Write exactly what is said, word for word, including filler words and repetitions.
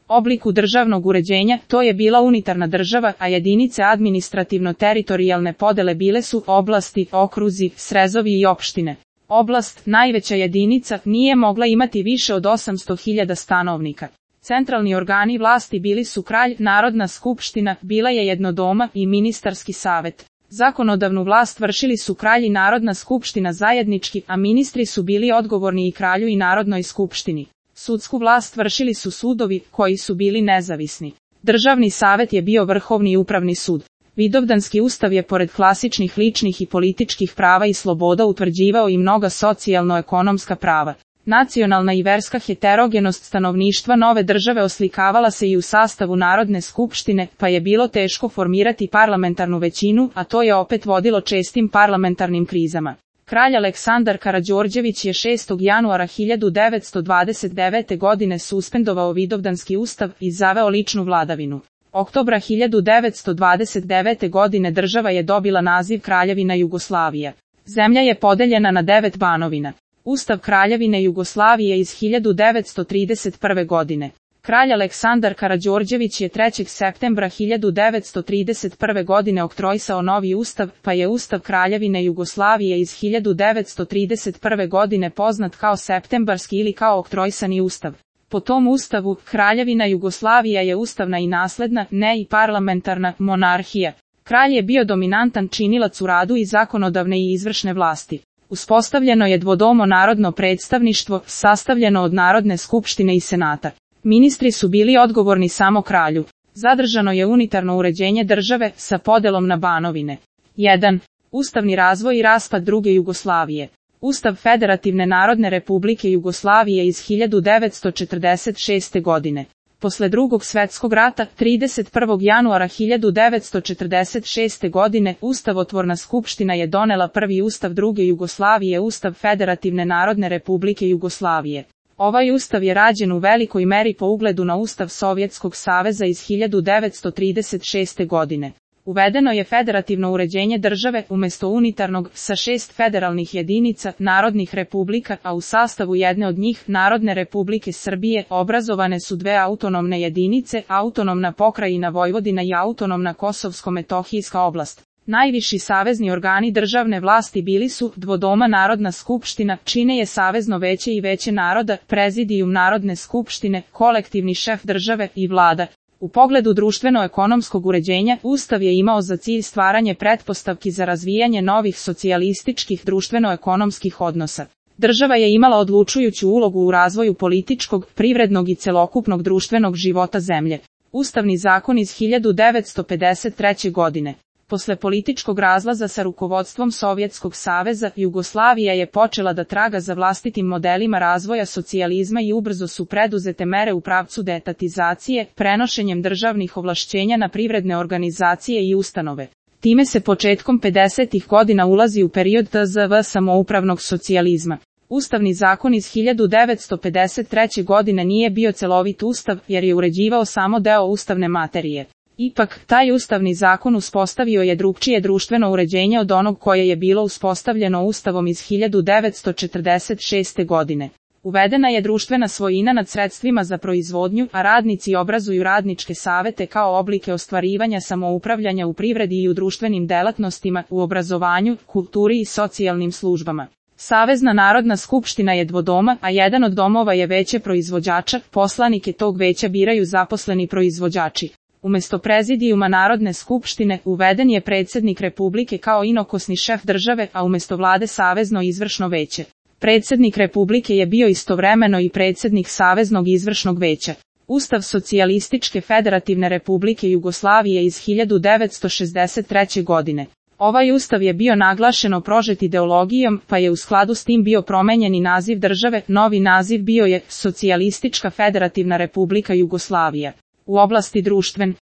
obliku državnog uređenja, to je bila unitarna država, a jedinice administrativno-teritorijalne podele bile su oblasti, okruzi, srezovi i opštine. Oblast, najveća jedinica, nije mogla imati više od osamsto hiljada stanovnika. Centralni organi vlasti bili su kralj, Narodna skupština, bila je jednodoma i ministarski savet. Zakonodavnu vlast vršili su kralj i Narodna skupština zajednički, a ministri su bili odgovorni i kralju i Narodnoj skupštini. Sudsku vlast vršili su sudovi, koji su bili nezavisni. Državni savet je bio vrhovni upravni sud. Vidovdanski ustav je pored klasičnih ličnih i političkih prava i sloboda utvrđivao i mnoga socijalno-ekonomska prava. Nacionalna i verska heterogenost stanovništva nove države oslikavala se i u sastavu Narodne skupštine, pa je bilo teško formirati parlamentarnu većinu, a to je opet vodilo čestim parlamentarnim krizama. Kralj Aleksandar Karađorđević je šestog januara hiljadu devetsto dvadeset devete. godine suspendovao Vidovdanski ustav i zaveo ličnu vladavinu. Oktobra hiljadu devetsto dvadeset devete. godine država je dobila naziv Kraljevina Jugoslavija. Zemlja je podeljena na devet banovina. Ustav Kraljevine Jugoslavije iz hiljadu devetsto trideset prve. godine. Kralj Aleksandar Karađorđević je trećeg septembra hiljadu devetsto trideset prve. godine oktroisao novi ustav, pa je Ustav Kraljevine Jugoslavije iz hiljadu devetsto trideset prve. godine poznat kao septembarski ili kao oktroisani ustav. Po tom ustavu, Kraljevina Jugoslavija je ustavna i nasledna, ne i parlamentarna, monarhija. Kralj je bio dominantan činilac u radu i zakonodavne i izvršne vlasti. Uspostavljeno je dvodomo narodno predstavništvo, sastavljeno od Narodne skupštine i senata. Ministri su bili odgovorni samo kralju. Zadržano je unitarno uređenje države sa podelom na banovine. jedan. Ustavni razvoj i raspad druge Jugoslavije. Ustav Federativne Narodne Republike Jugoslavije iz hiljadu devetsto četrdeset šeste. godine. Posle drugog svetskog rata, trideset prvog januara hiljadu devetsto četrdeset šeste. godine, Ustavotvorna skupština je donela prvi ustav druge Jugoslavije, Ustav Federativne Narodne Republike Jugoslavije. Ovaj ustav je rađen u velikoj meri po ugledu na Ustav Sovjetskog saveza iz hiljadu devetsto trideset šeste. godine. Uvedeno je federativno uređenje države umjesto unitarnog, sa šest federalnih jedinica, narodnih republika, a u sastavu jedne od njih, Narodne republike Srbije, obrazovane su dve autonomne jedinice, autonomna pokrajina Vojvodina i autonomna Kosovsko-metohijska oblast. Najviši savezni organi državne vlasti bili su dvodoma Narodna skupština, čine je Savezno veće i Veće naroda, Prezidijum Narodne skupštine, kolektivni šef države i vlada. U pogledu društveno-ekonomskog uređenja, Ustav je imao za cilj stvaranje pretpostavki za razvijanje novih socijalističkih društveno-ekonomskih odnosa. Država je imala odlučujuću ulogu u razvoju političkog, privrednog i celokupnog društvenog života zemlje. Ustavni zakon iz hiljadu devetsto pedeset treće. godine. Posle političkog razlaza sa rukovodstvom Sovjetskog saveza, Jugoslavija je počela da traga za vlastitim modelima razvoja socijalizma i ubrzo su preduzete mere u pravcu deetatizacije, prenošenjem državnih ovlašćenja na privredne organizacije i ustanove. Time se početkom pedesetih godina ulazi u period T Z V samoupravnog socijalizma. Ustavni zakon iz hiljadu devetsto pedeset treće. godine nije bio celovit ustav, jer je uređivao samo deo ustavne materije. Ipak, taj ustavni zakon uspostavio je drukčije društveno uređenje od onog koje je bilo uspostavljeno Ustavom iz hiljadu devetsto četrdeset šeste. godine. Uvedena je društvena svojina nad sredstvima za proizvodnju, a radnici obrazuju radničke savete kao oblike ostvarivanja samoupravljanja u privredi i u društvenim delatnostima, u obrazovanju, kulturi i socijalnim službama. Savezna Narodna skupština je dvodoma, a jedan od domova je veće proizvođača, poslanike tog veća biraju zaposleni proizvođači. Umjesto prezidijuma Narodne skupštine, uveden je predsjednik Republike kao inokosni šef države, a umjesto vlade Savezno izvršno veće. Predsjednik Republike je bio istovremeno i predsjednik Saveznog izvršnog veća. Ustav Socijalističke Federativne Republike Jugoslavije iz hiljadu devetsto šezdeset treće. godine. Ovaj ustav je bio naglašeno prožet ideologijom, pa je u skladu s tim bio promenjen i naziv države, novi naziv bio je Socijalistička Federativna Republika Jugoslavija. U oblasti društven,